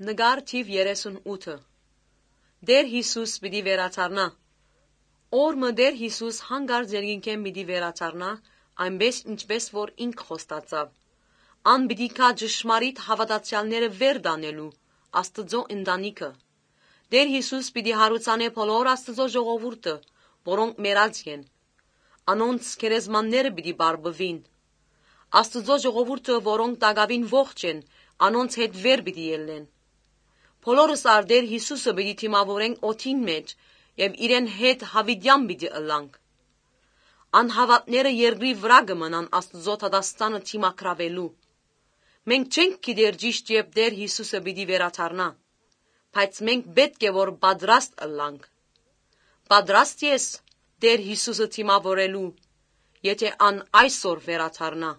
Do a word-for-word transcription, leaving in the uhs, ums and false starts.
Նկար թիվ երեսունութը։ Տէր Յիսուս պիտի վերադառնայ։ Օր մը Տէր Յիսուս յանկարծ երկնքէն պիտի վերադառնայ, այնպէս ինչպէս որ ինք խոստացաւ։ Ան պիտի գայ ճշմարիտ հաւատացեալները վեր տանելու Աստուծոյ ընտանիքը։ Տէր Յիսուս պիտի յարուցանէ բոլոր Աստուծոյ ժողովուրդը, որոնք մեռած են։ Անոնց գերեզմանները պիտի պարպուին։ Աստուծոյ ժողովուրդը, որոնք տակաւին ողջ են, անոնց հետ վեր պիտի ելլեն։ Բոլորս ալ Տէր Յիսուսը պիտի դիմաւորենք օդին մէջ եւ իրեն հետ յաւիտեան պիտի ըլլանք։ Անհաւատները երկրի վրայ կը մնան Աստուծոյ դատաստանը դիմագրաւելու։ Մենք չենք գիտեր ճիշդ երբ Տէր Յիսուսը պիտի վերադառնայ, բայց մենք պէտք է որ պատրաստ ըլլանք։ Պատրաստ ես Տէր Յիսուսը դիմաւորելու, եթէ ան այսօր վերադառնայ։